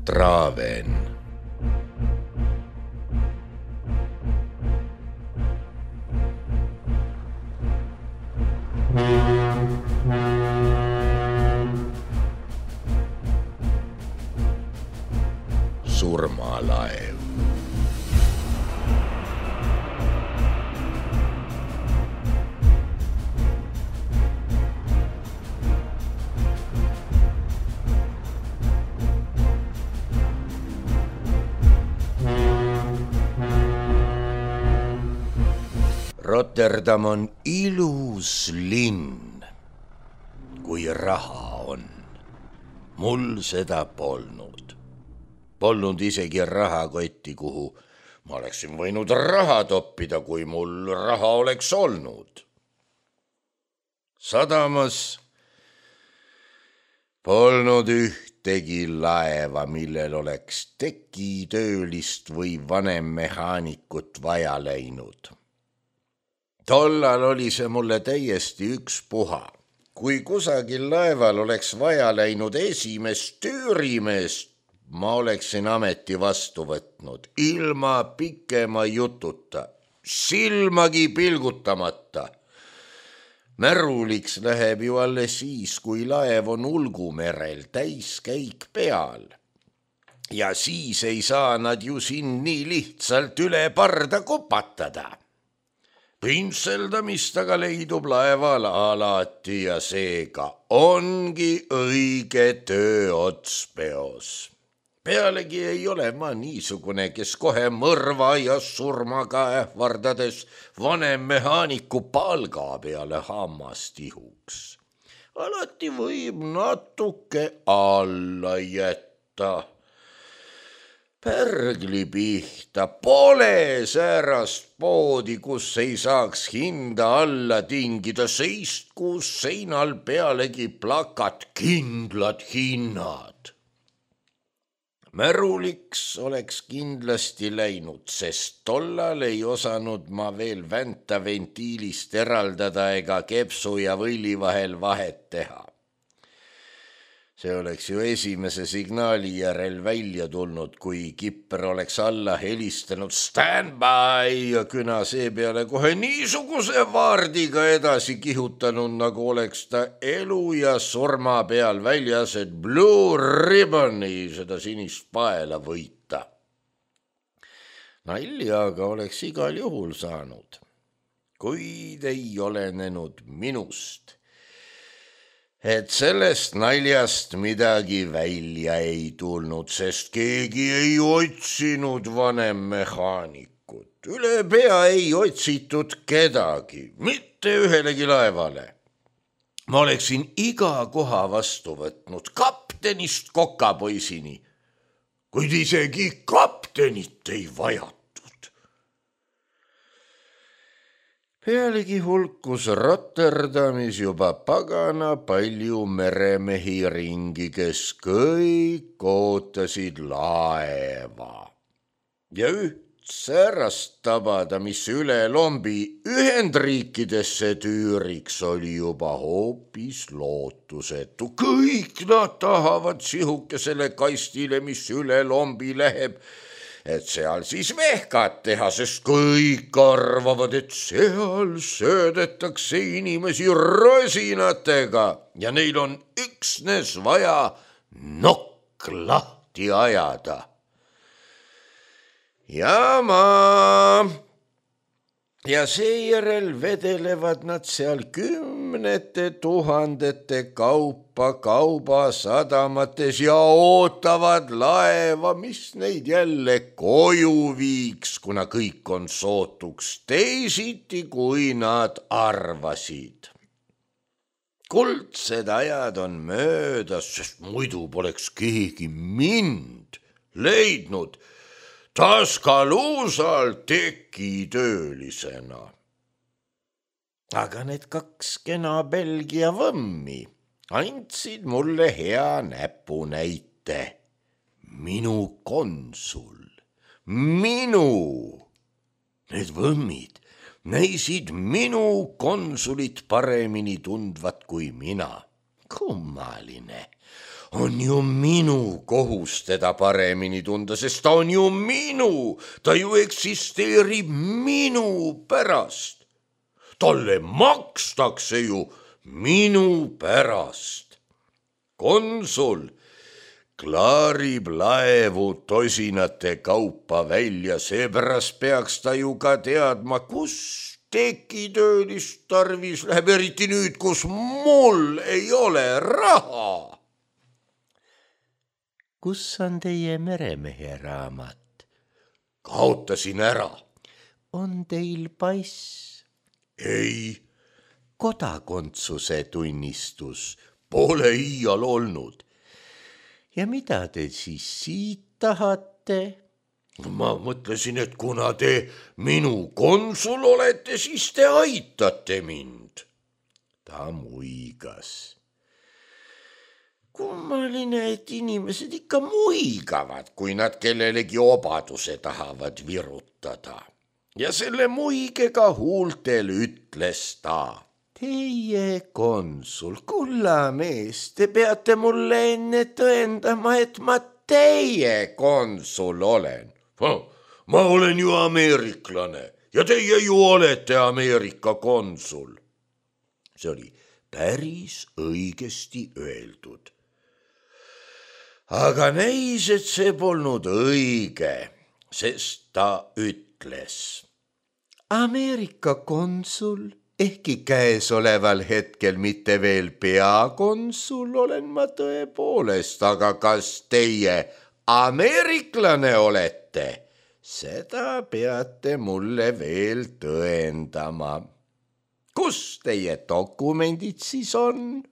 Traven. Surmalaev. Rotterdam on ilus linn, kui raha on. Mul seda polnud. Polnud isegi rahakotti, kuhu ma oleksin võinud raha toppida, kui mul raha oleks olnud. Sadamas polnud ühtegi laeva, millel oleks tekitöölist või vanemmehaanikut vaja läinud. Tollal oli see mulle täiesti ükspuha. Kui kusagil laeval oleks vaja läinud esimest tüürimeest, ma oleksin ameti vastu võtnud, ilma pikema jututa, silmagi pilgutamata. Märuliks läheb ju alles siis, kui laev on Ulgumerel täiskäik peal. Ja siis ei saa nad ju siin nii lihtsalt üle parda kupatada. Pintseldamist aga leidub laeval alati ja seega ongi õige töö otspeos. Pealegi ei ole ma niisugune, kes kohe mõrva ja surmaga ähvardades vanemmehaaniku palga peale hammast ihuks. Alati võib natuke alla jätta. Pärgli pihta pole säärast poodi, kus ei saaks hinda alla tingida, seist, kus seinal pealegi plakat kindlad hinnad. Märuliks oleks kindlasti läinud, sest tollal ei osanud ma veel vänta ventiilist eraldada ega kepsu ja võlli vahel vahet teha. See oleks ju esimese signaali järel välja tulnud, kui kipper oleks alla helistanud stand by ja küna seepeale kohe niisuguse vaardiga edasi kihutanud, nagu oleks ta elu ja surma peal väljas, et Blue Ribboni, seda sinist paela võita. Nalja aga oleks igal juhul saanud, kuid ei olenenud minust. Et sellest naljast midagi välja ei tulnud, sest keegi ei otsinud vanemmehaanikut. Üle pea ei otsitud kedagi, mitte ühelegi laevale. Ma oleksin iga koha vastu võtnud, kaptenist kokapoisini, kuid isegi kaptenit ei vajatud. Pealegi hulkus Rotterdamis juba pagana palju meremehi ringi, kes kõik ootasid laeva. Ja üht säärast tabada, mis üle lombi Ühendriikidesse tüüriks, oli juba hoopis lootusetu. Kõik nad tahavad sihukesele kastile, mis üle lombi läheb, et seal siis vehkat teha, sest kõik arvavad, et seal söödetakse inimesi rosinatega ja neil on üksnes vaja nokk lahti ajada. Ja seejärel vedelevad nad seal 10 000 kaupa kaubasadamates ja ootavad laeva, mis neid jälle koju viiks, kuna kõik on sootuks teisiti, kui nad arvasid. Kuldsed ajad on möödas, sest muidu poleks keegi mind leidnud Taskaluusal tekitöölisena. Aga need 2 kena Belgia võmmi andsid mulle hea näpunäite. Minu konsul, need võmmid näisid minu konsulit paremini tundvat kui mina. Kummaline. on ju minu kohus teda paremini tunda, sest ta on ju minu, ta ju eksisteerib minu pärast. Talle makstakse ju minu pärast. Konsul klaarib laevu tosinate kaupa välja, seepärast peaks ta ju ka teadma, kus tekitöölist tarvis läheb, eriti nüüd, kus mul ei ole raha. Kus on teie meremehe raamat? Kaotasin ära. On teil pass? Ei. Kodakondsuse tunnistus? Pole iial olnud. Ja mida te siis siit tahate? Ma mõtlesin, et kuna te minu konsul olete, siis te aitate mind. Ta muigas. Kummaline, et inimesed ikka muigavad, kui nad kellelegi obaduse tahavad virutada. Ja selle muigega huultel ütles ta. Teie konsul, kulla mees, te peate mulle enne tõendama, et ma teie konsul olen. Ma olen ju ameeriklane ja teie ju olete Ameerika konsul. See oli päris õigesti öeldud. Aga näis, et see polnud õige, sest ta ütles. Ameerika konsul, ehkki käesoleval hetkel mitte veel peakonsul olen ma tõepoolest, aga kas teie ameeriklane olete? Seda peate mulle veel tõendama. Kus teie dokumendid siis on?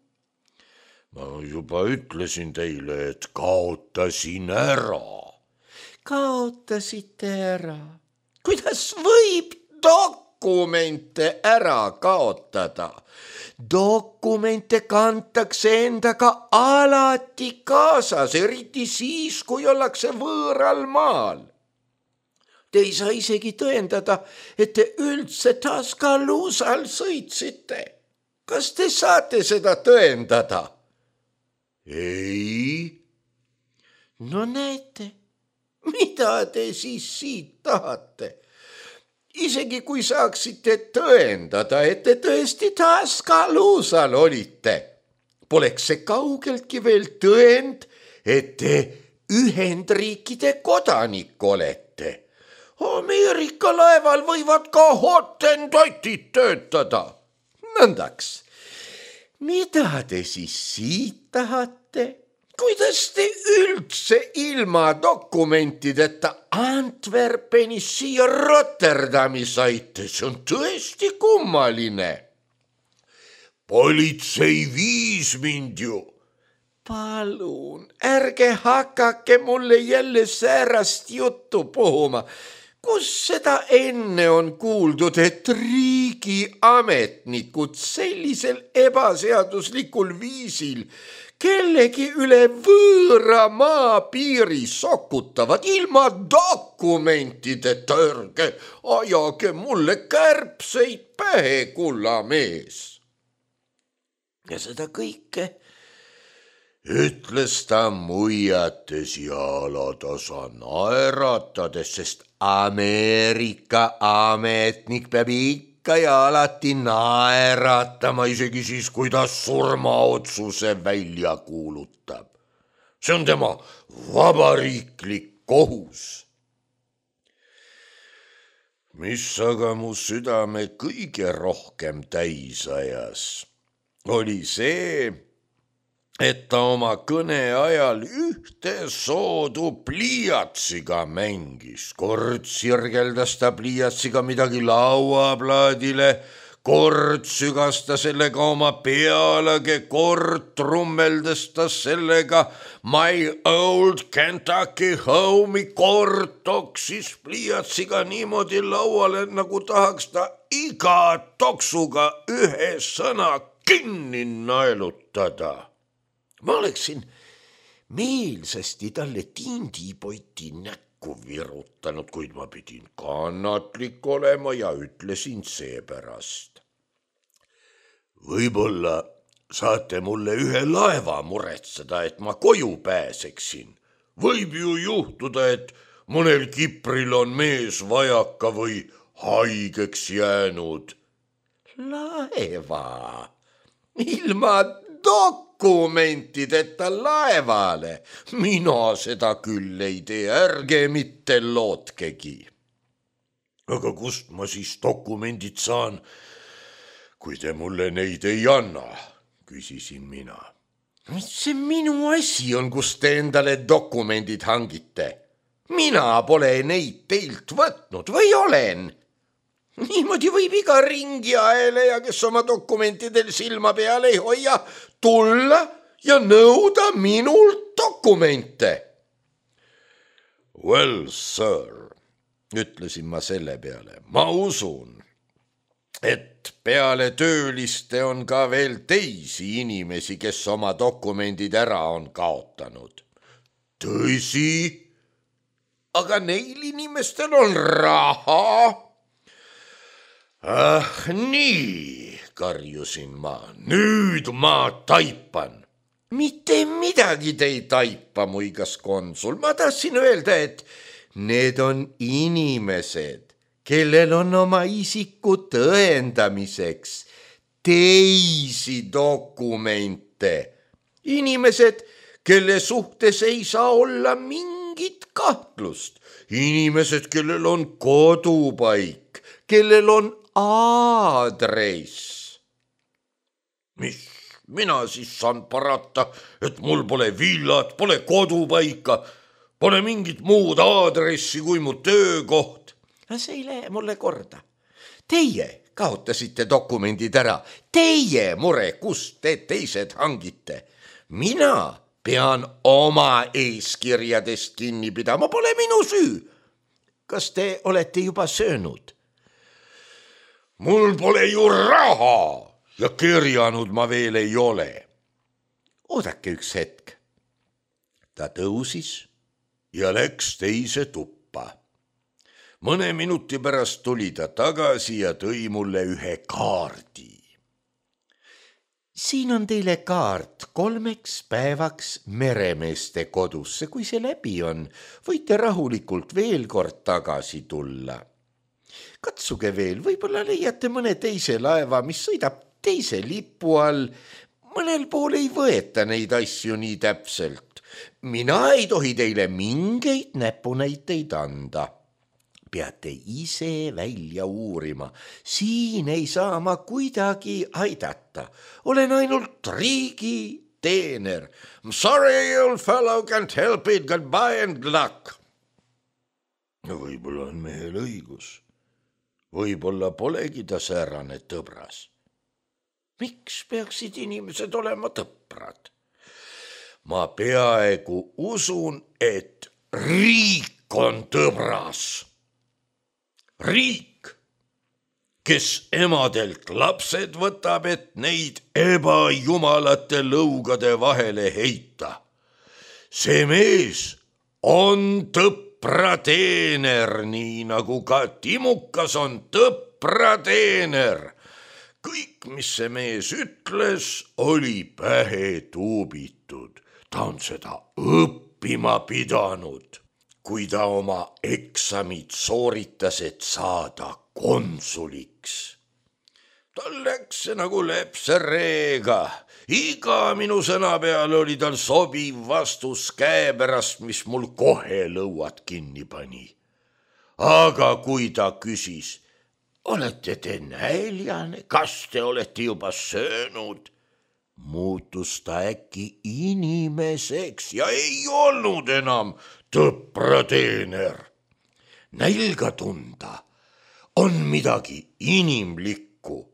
Ma juba ütlesin teile, et kaotasin ära. Kaotasite ära? Kuidas võib dokumente ära kaotada? Dokumente kantakse endaga alati kaasas, eriti siis, kui ollakse võõral maal. Te ei saa isegi tõendada, et te üldse Tuscaloosal sõitsite. Kas te saate seda tõendada? Ei. No näete, mida te siis siit tahate? Isegi kui saaksite tõendada, et te tõesti Tuscaloosal olite, poleks see kaugeltki veel tõend, et te Ühendriikide kodanik olete. Ameerika laeval võivad ka hotendotid töötada. Nõndaks, mida te siis siit tahate? Kuidas te üldse ilma dokumentideta Antwerpenis siia Rotterdami saite? See on tõesti kummaline. Politsei viis mind ju. Palun, ärge hakake mulle jälle säärast juttu puhuma. Kus seda enne on kuuldud, et riigiametnikud sellisel ebaseaduslikul viisil kellegi üle võõra maapiiri sokutavad ilma dokumentideta? Ärge ajage mulle kärbseid pähe, kulla mees. Ja seda kõike ütles ta muiates ja alatasa naeratades, sest Ameerika ametnik peab ikka ja alati naeratama, isegi siis, kui ta surmaotsuse välja kuulutab. See on tema vabariiklik kohus. Mis aga mu südame kõige rohkem täis ajas, oli see, et ta oma kõne ajal ühte soodu pliiatsiga mängis. Kord sirgeldas ta pliiatsiga midagi lauaplaadile, kord sügas ta sellega oma pealage, kord trummeldas ta sellega My old Kentucky home'i, kord toksis pliiatsiga niimoodi lauale, nagu tahaks ta iga toksuga ühe sõna kinni naelutada. Ma oleksin meelsasti talle tindipoti näkku virutanud, kuid ma pidin kannatlik olema ja ütlesin seepärast. Võib-olla saate mulle ühe laeva muretseda, et ma koju pääseksin. Võib ju juhtuda, et mõnel kipril on mees vajaka või haigeks jäänud. Laeva? Ilma dokumentideta laevale? Mina seda küll ei tee, ärge mitte lootkegi. Aga kust ma siis dokumendid saan, kui te mulle neid ei anna, küsisin mina. Mis see minu asi on, kus te endale dokumendid hangite? Mina pole neid teilt võtnud või olen? Niimoodi võib iga ringiaeleja, kes oma dokumentidel silma peal ei hoia, tulla ja nõuda minult dokumente. Well, sir, ütlesin ma selle peale, ma usun, et peale tööliste on ka veel teisi inimesi, kes oma dokumendid ära on kaotanud. Tõsi? Aga neil inimestel on raha? Nii, karjusin ma, nüüd ma taipan. Mitte midagi te ei taipa, muigas konsul. Ma tahtsin öelda, et need on inimesed, kellel on oma isiku tõendamiseks teisi dokumente. Inimesed, kelle suhtes ei saa olla mingit kahtlust. Inimesed, kellel on kodupaik, kellel on aadress. Mis mina siis saan parata, et mul pole villat, pole kodupaika, pole mingit muud aadressi kui mu töökoht? See ei lähe mulle korda. Teie kaotasite dokumendid ära. Teie mure, kust te teised hangite. Mina pean oma eeskirjadest kinni pidama, pole minu süü. Kas te olete juba söönud? Mul pole ju raha ja kirjanud ma veel ei ole. Oodake üks hetk. Ta tõusis ja läks teise tuppa. Mõne minuti pärast tuli ta tagasi ja tõi mulle ühe kaardi. Siin on teile kaart 3 päevaks meremeeste kodusse. Kui see läbi on, võite rahulikult veel kord tagasi tulla. Katsuge veel, võib-olla leiate mõne teise laeva, mis sõidab teise lipu all. Mõnel pool ei võeta neid asju nii täpselt. Mina ei tohi teile mingeid näpunäiteid anda. Peate ise välja uurima. Siin ei saa ma kuidagi aidata. Olen ainult riigi teener. I'm sorry, old fellow, can't help it, goodbye and luck. Võib-olla on mehel õigus. Võib-olla polegi ta säärane tõbras. Miks peaksid inimesed olema tõprad? Ma peaaegu usun, et riik on tõbras. Riik, kes emadelt lapsed võtab, et neid ebajumalate lõugade vahele heita. See mees on tõprateener, nii nagu ka Timukas on tõprateener. Kõik, mis see mees ütles, oli pähe tuubitud. Ta on seda õppima pidanud. Kui ta oma eksamid sooritas, et saada konsuliks. Tal läks see nagu lepsereega. Iga minu sõna peale oli tal sobiv vastus käepärast, mis mul kohe lõuad kinni pani. Aga kui ta küsis, olete te näljane, kas te olete juba söönud? Muutus ta äkki inimeseks ja ei olnud enam tõprateener. Nälga tunda on midagi inimlikku.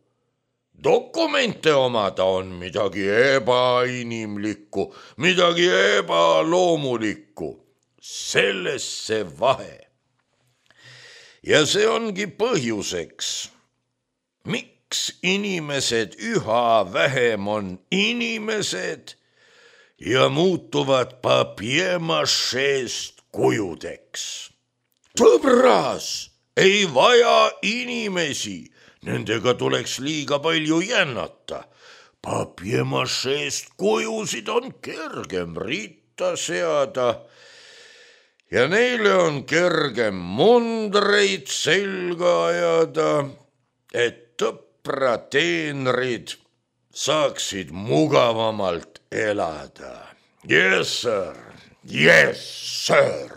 Dokumente omada on midagi ebainimlikku, midagi ebaloomulikku. Selles see vahe. Ja see ongi põhjuseks, miks inimesed üha vähem on inimesed ja muutuvad papier-mâcheest kujudeks. Tõbras ei vaja inimesi, nendega tuleks liiga palju jännata. Papier-macheest kujusid on kergem ritta seada ja neile on kergem mundreid selga ajada, et tõprateenrid saaksid mugavamalt elada. Yes, sir. Yes, sir.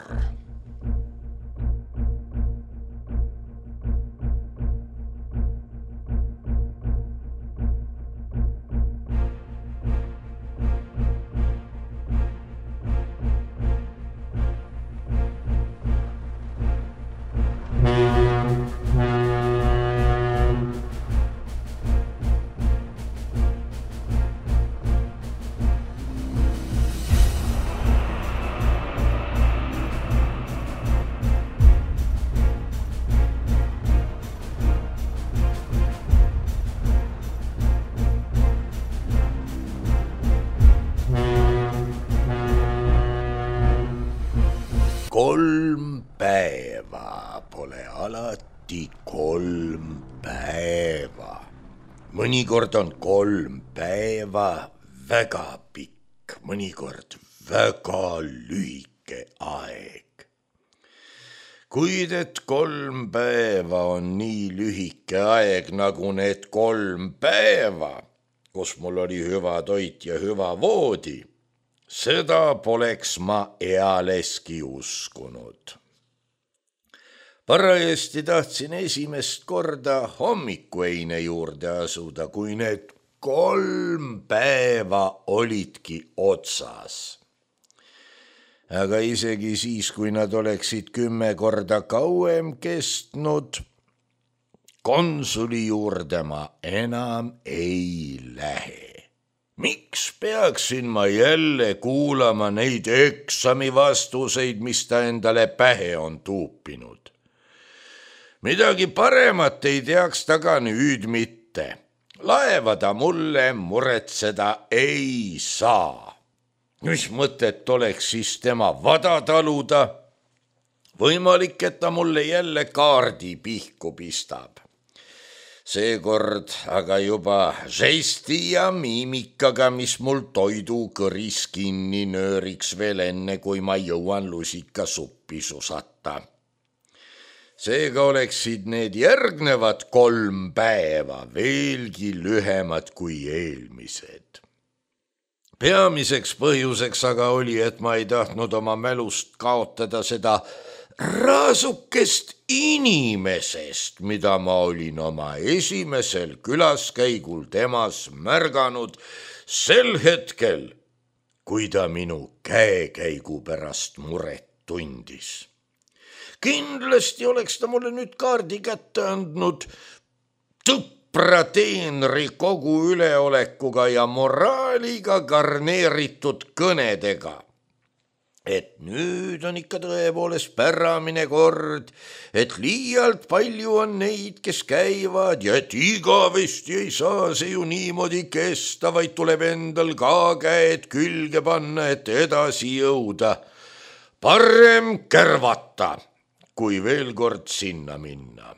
Kolm päeva pole alati 3 päeva. Mõnikord on 3 päeva väga pikk, mõnikord väga lühike aeg. Kuid et 3 päeva on nii lühike aeg nagu need 3 päeva, kus mul oli hüva toit ja hüva voodi, seda poleks ma ealeski uskunud. Parajasti tahtsin esimest korda hommikueine juurde asuda, kui need 3 päeva olidki otsas. Aga isegi siis, kui nad oleksid 10 korda kauem kestnud, konsuli juurde ma enam ei lähe. Miks peaksin ma jälle kuulama neid eksami vastuseid, mis ta endale pähe on tuupinud? Midagi paremat ei teaks ta ka nüüd mitte. Laeva ta mulle muretseda ei saa. Mis mõtet oleks siis tema vada taluda? Võimalik, et ta mulle jälle kaardi pihku pistab. Seekord aga juba žesti ja miimikaga, mis mul toidu kõris kinni nööriks veel enne, kui ma jõuan lusikasuppi susata. Seega oleksid need järgnevad 3 päeva veelgi lühemad kui eelmised. Peamiseks põhjuseks aga oli, et ma ei tahtnud oma mälust kaotada seda raasukest inimesest, mida ma olin oma esimesel külaskäigul temas märganud sel hetkel, kui ta minu käekäigu pärast muret tundis. Kindlasti oleks ta mulle nüüd kaardi kätte andnud tõprateenri kogu üleolekuga ja moraaliga garneeritud kõnedega. Et nüüd on ikka tõepoolest päramine kord, et liialt palju on neid, kes käivad ja et igavesti ei saa see ju niimoodi kesta, vaid tuleb endal ka käed külge panna, et edasi jõuda. Parem kärvata, kui veel kord sinna minna.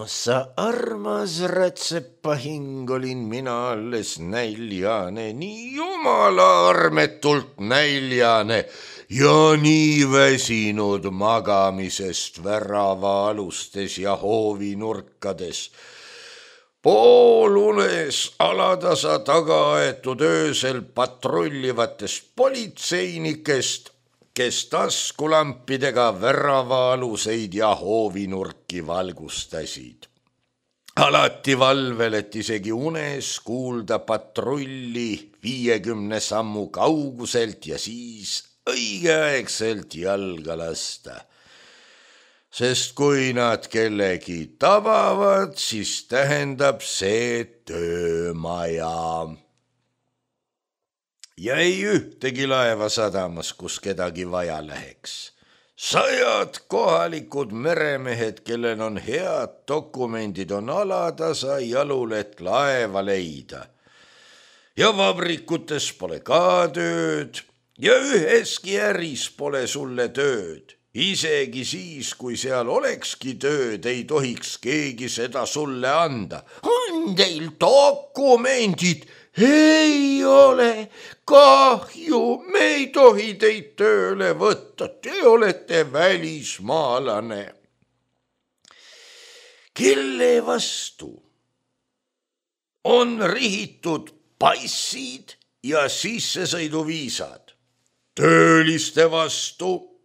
Sa armas rätsepahing olin mina alles näljane, nii jumala armetult näljane ja nii väsinud magamisest väravaalustes ja hoovinurkades. Poolunes alatasa taga aetud öösel patrullivatest politseinikest, kes taskulampidega väravaaluseid ja hoovinurki valgustasid. Alati valvel, et isegi unes kuulda patrulli 50 sammu kauguselt ja siis õigeaegselt jalga lasta. Sest kui nad kellegi tabavad, siis tähendab see töömaja. Ja ei ühtegi laeva sadamas, kus kedagi vaja läheks. 100 kohalikud meremehed, kellel on head dokumendid, on alatasa jalul, et laeva leida. Ja vabrikutes pole ka tööd ja üheski äris pole sulle tööd. Isegi siis, kui seal olekski tööd, ei tohiks keegi seda sulle anda. teil dokumendid? Ei ole, kahju, me ei tohi teid tööle võtta, te olete välismaalane. Kelle vastu on rihitud passid ja sissesõiduviisad? Tööliste vastu.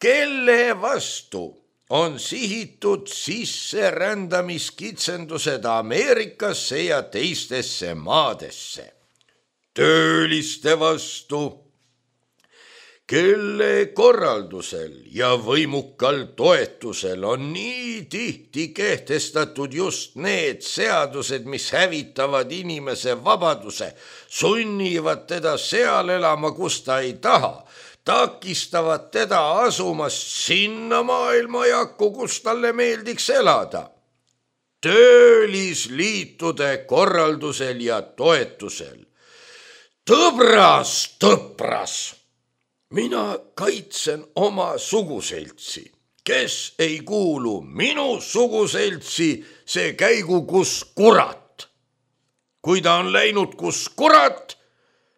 Kelle vastu on sihitud sisserändamiskitsendused Ameerikasse ja teistesse maadesse? Tööliste vastu. Kelle korraldusel ja võimukal toetusel on nii tihti kehtestatud just need seadused, mis hävitavad inimese vabaduse, sunnivad teda seal elama, kus ta ei taha, takistavad teda asumast sinna maailmajakku, kus talle meeldiks elada. Töölisliitude korraldusel ja toetusel. Tõbras. Mina kaitsen oma suguseltsi. Kes ei kuulu minu suguseltsi, see käigu kus kurat. Kui ta on läinud kus kurat,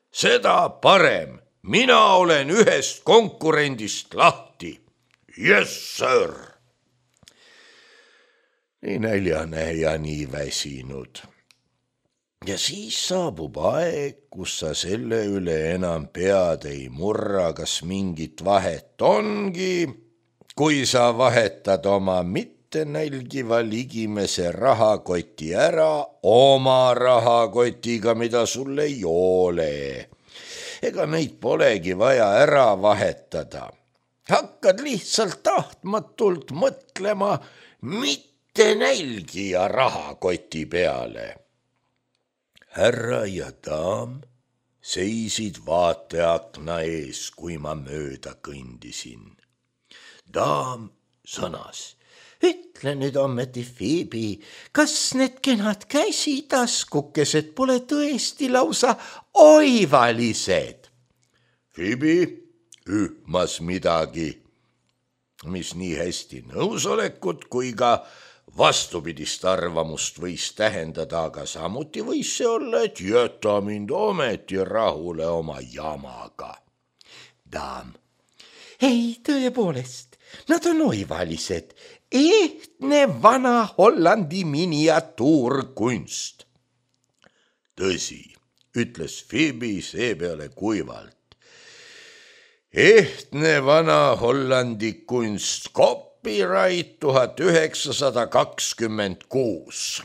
seda parem. Mina olen ühest konkurendist lahti. Yes, sir. Nii näljane ja nii väsinud. Ja siis saabub aeg, kus sa selle üle enam pead ei murra, kas mingit vahet ongi, kui sa vahetad oma mittenälgiva ligimese rahakoti ära oma rahakotiga, mida sul ei ole. Ega neid polegi vaja ära vahetada. Hakkad lihtsalt tahtmatult mõtlema mittenälgija rahakoti peale. Härra ja daam seisid vaateakna ees, kui ma mööda kõndisin. Daam sõnas. Ütle nüüd ometi, Phoebe, kas need kenad käsitaskukesed pole tõesti lausa oivalised? Phoebe ühmas midagi, mis nii hästi nõusolekut kui ka vastupidist arvamust võis tähendada, aga samuti võis see olla, et jäta mind ometi rahule oma jamaga. Daam. Ei, tõepoolest, nad on oivalised, ehtne vana Hollandi miniatuurkunst. Tõsi, ütles Phoebe seepeale kuivalt. Ehtne vana Hollandi kunst, copyright 1926.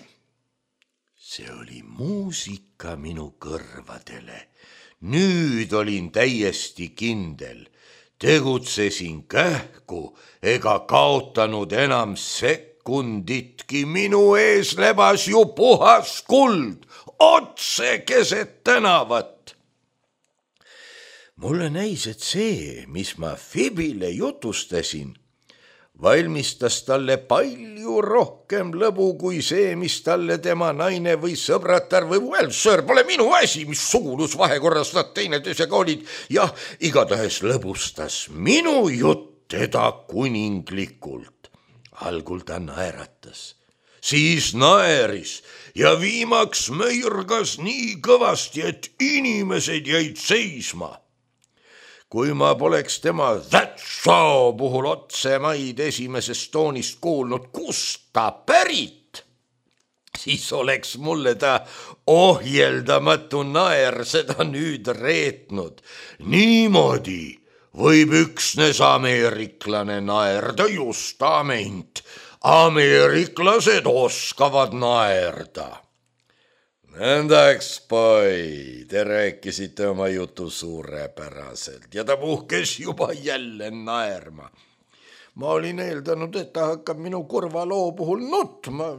See oli muusika minu kõrvadele. Nüüd olin täiesti kindel. Tegutsesin kähku ega kaotanud enam sekunditki. Minu ees lebas ju puhas kuld, otse keset tänavat. Mulle näis, et see, mis ma Phoebele jutustasin, valmistas talle palju rohkem lõbu kui see, mis talle tema naine või sõbratar või sir, pole minu asi, mis sugulusvahekorras nad teineteisega olid. Jah, igatahes lõbustas minu jutt teda kuninglikult. Algul ta naeratas, siis naeris ja viimaks möirgas nii kõvasti, et inimesed jäid seisma. Kui ma poleks tema That's so puhul otsemaid esimesest toonist kuulnud, kust ta pärit, siis oleks mulle ta ohjeldamatu naer seda nüüd reetnud. Niimoodi võib üksnes ameeriklane naerda, just ament. Ameeriklased oskavad naerda. Nõndaks, poi, te rääkisite oma jutu suurepäraselt ja ta puhkes juba jälle naerma. Ma olin eeldanud, et ta hakkab minu kurva loo puhul nutma.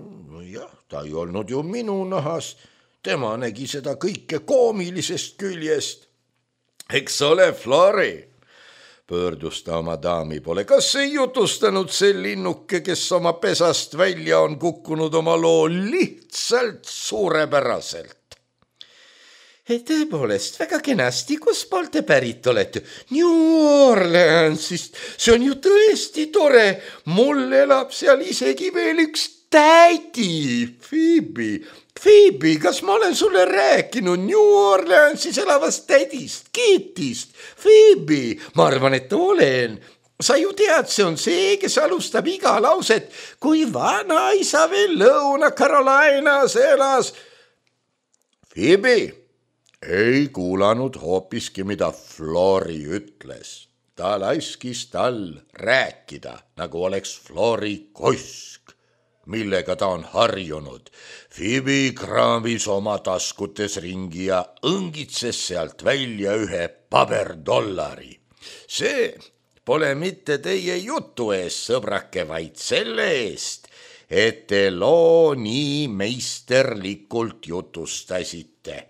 Jah, ta ei olnud ju minu nahas. Tema nägi seda kõike koomilisest küljest. Eks ole, Flori, pöördus ta oma daami poole. Kas ei jutustanud see linnuke, kes oma pesast välja on kukkunud oma loo lihtsalt suurepäraselt? Tõepoolest, väga kenasti, kus poolt te pärit olete? New Orleansist, see on ju tõesti tore. Mul elab seal isegi veel üks tädi, Phoebe, kas ma olen sulle rääkinud New Orleansis elavast tädist, Keitist? Phoebe, ma arvan, et olen. Sa ju tead, see on see, kes alustab iga lauset, kui vanaisa veel Lõuna-Carolinas elas. Phoebe ei kuulanud hoopiski, mida Flori ütles. Ta laskis tal rääkida, nagu oleks Flori kosk, millega ta on harjunud. Phoebe kraamis oma taskutes ringi ja õngitses sealt välja ühe paberdollari. See pole mitte teie jutu eest, sõbrake, vaid selle eest, et te loo nii meisterlikult jutustasite.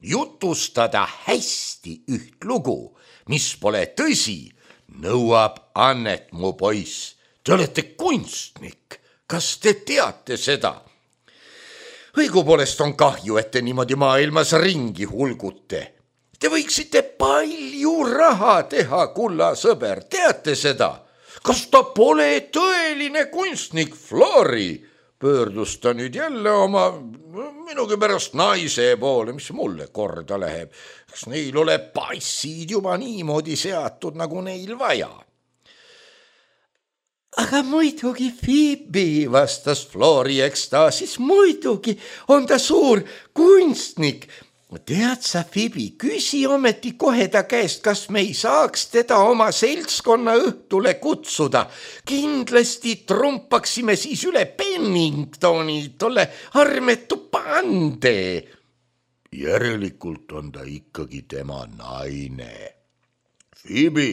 Jutustada hästi üht lugu, mis pole tõsi, nõuab annet, mu poiss. Te olete kunstnik, kas te teate seda? Õigupoolest on kahju, et te niimoodi maailmas ringi hulgute. Te võiksite palju raha teha, kulla sõber, teate seda? Kas ta pole tõeline kunstnik, Flori? Pöördus ta nüüd jälle oma minugi pärast naise poole, mis mulle korda läheb. Kas neil ole passid juba niimoodi seatud, nagu neil vaja? Aga muidugi, Phoebe, vastas Flori ekstaasis, muidugi on ta suur kunstnik. Tead sa, Phoebe, küsi ometi kohe ta käest, kas me ei saaks teda oma seltskonna õhtule kutsuda. Kindlasti trumpaksime siis üle Penningtoni, tolle armetu pande. Järelikult on ta ikkagi tema naine. Phoebe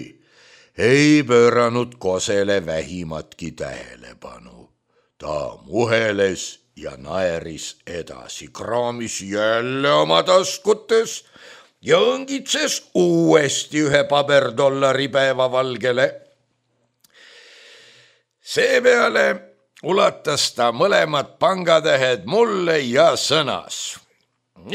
ei pööranud kosele vähimatki tähelepanu. Ta muheles ja naeris edasi, kraamis jälle oma taskutes ja õngitses uuesti ühe paberdollari päevavalgele. Seepeale ulatas ta mõlemad pangatähed mulle ja sõnas.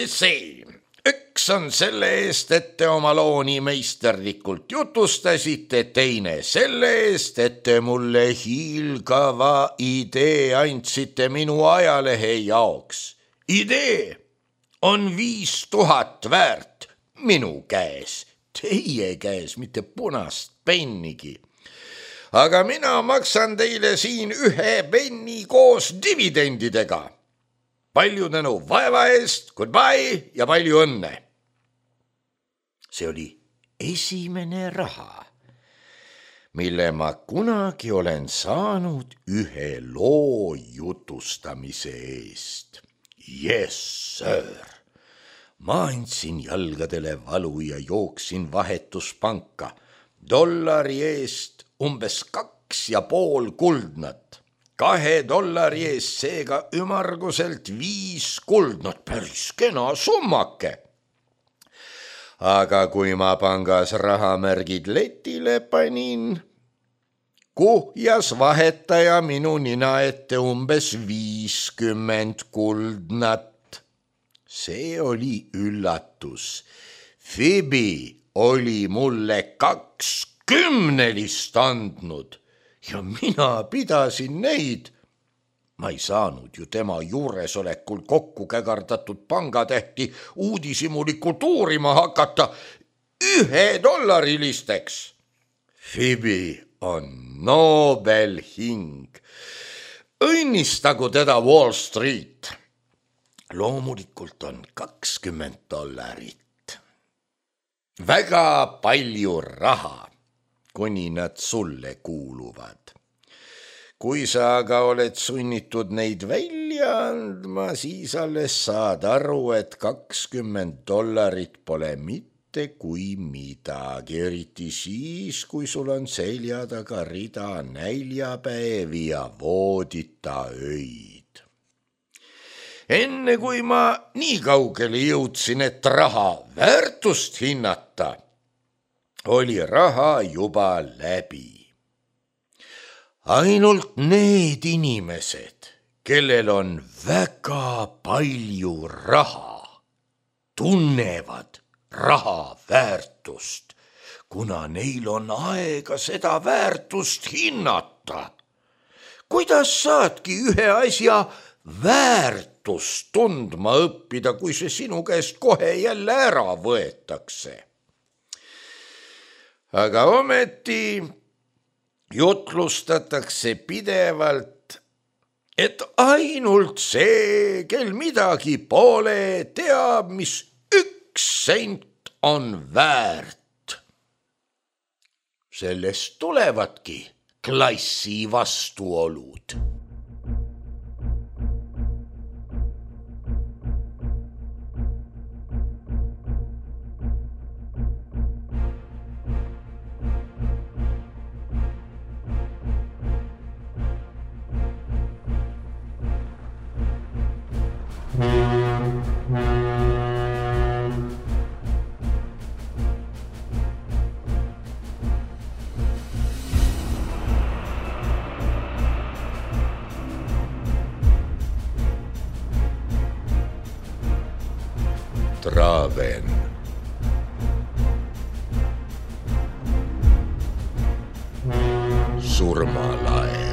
See, üks on selle eest, et te oma looni meisterlikult jutustasite, teine selle eest, et te mulle hiilgava idee andsite minu ajalehe jaoks. Idee on 5000 väärt minu käes, teie käes, mitte punast pennigi. Aga mina maksan teile siin 1 penni koos dividendidega. Palju tänu vaeva eest, goodbye ja palju õnne. See oli esimene raha, mille ma kunagi olen saanud ühe loo jutustamise eest. Yes, sir. Ma andsin jalgadele valu ja jooksin vahetuspanka. $1 eest umbes 2,5 kuldnat. $2 eest seega ümarguselt 5 kuldnat, päris kena summake. Aga kui ma pangas rahamärgid letile panin, kuhjas vahetaja minu nina ette umbes 50 kuldnat. See oli üllatus. Phoebe oli mulle 20 andnud. Ja mina pidasin neid. Ma ei saanud ju tema juuresolekul kokku kägardatud pangatähti uudishimulikult uurima hakata $1 Phoebe on Nobel hing. Õnnistagu teda Wall Street. Loomulikult on $20. Väga palju raha, kuni nad sulle kuuluvad. Kui sa aga oled sunnitud neid välja andma, siis alles saad aru, et $20 pole mitte kui midagi, eriti siis, kui sul on selja taga rida näljapäevi ja voodita öid. Enne kui ma nii kaugele jõudsin, et raha väärtust hinnata, oli raha juba läbi. Ainult need inimesed, kellel on väga palju raha, tunnevad raha väärtust, kuna neil on aega seda väärtust hinnata. kuidas saadki ühe asja väärtust tundma õppida, kui see sinu käest kohe jälle ära võetakse? Aga ometi jutlustatakse pidevalt, et ainult see, kel midagi pole, teab, mis 1 sent on väärt. Sellest tulevadki klassi vastuolud. Traven. Surmalae.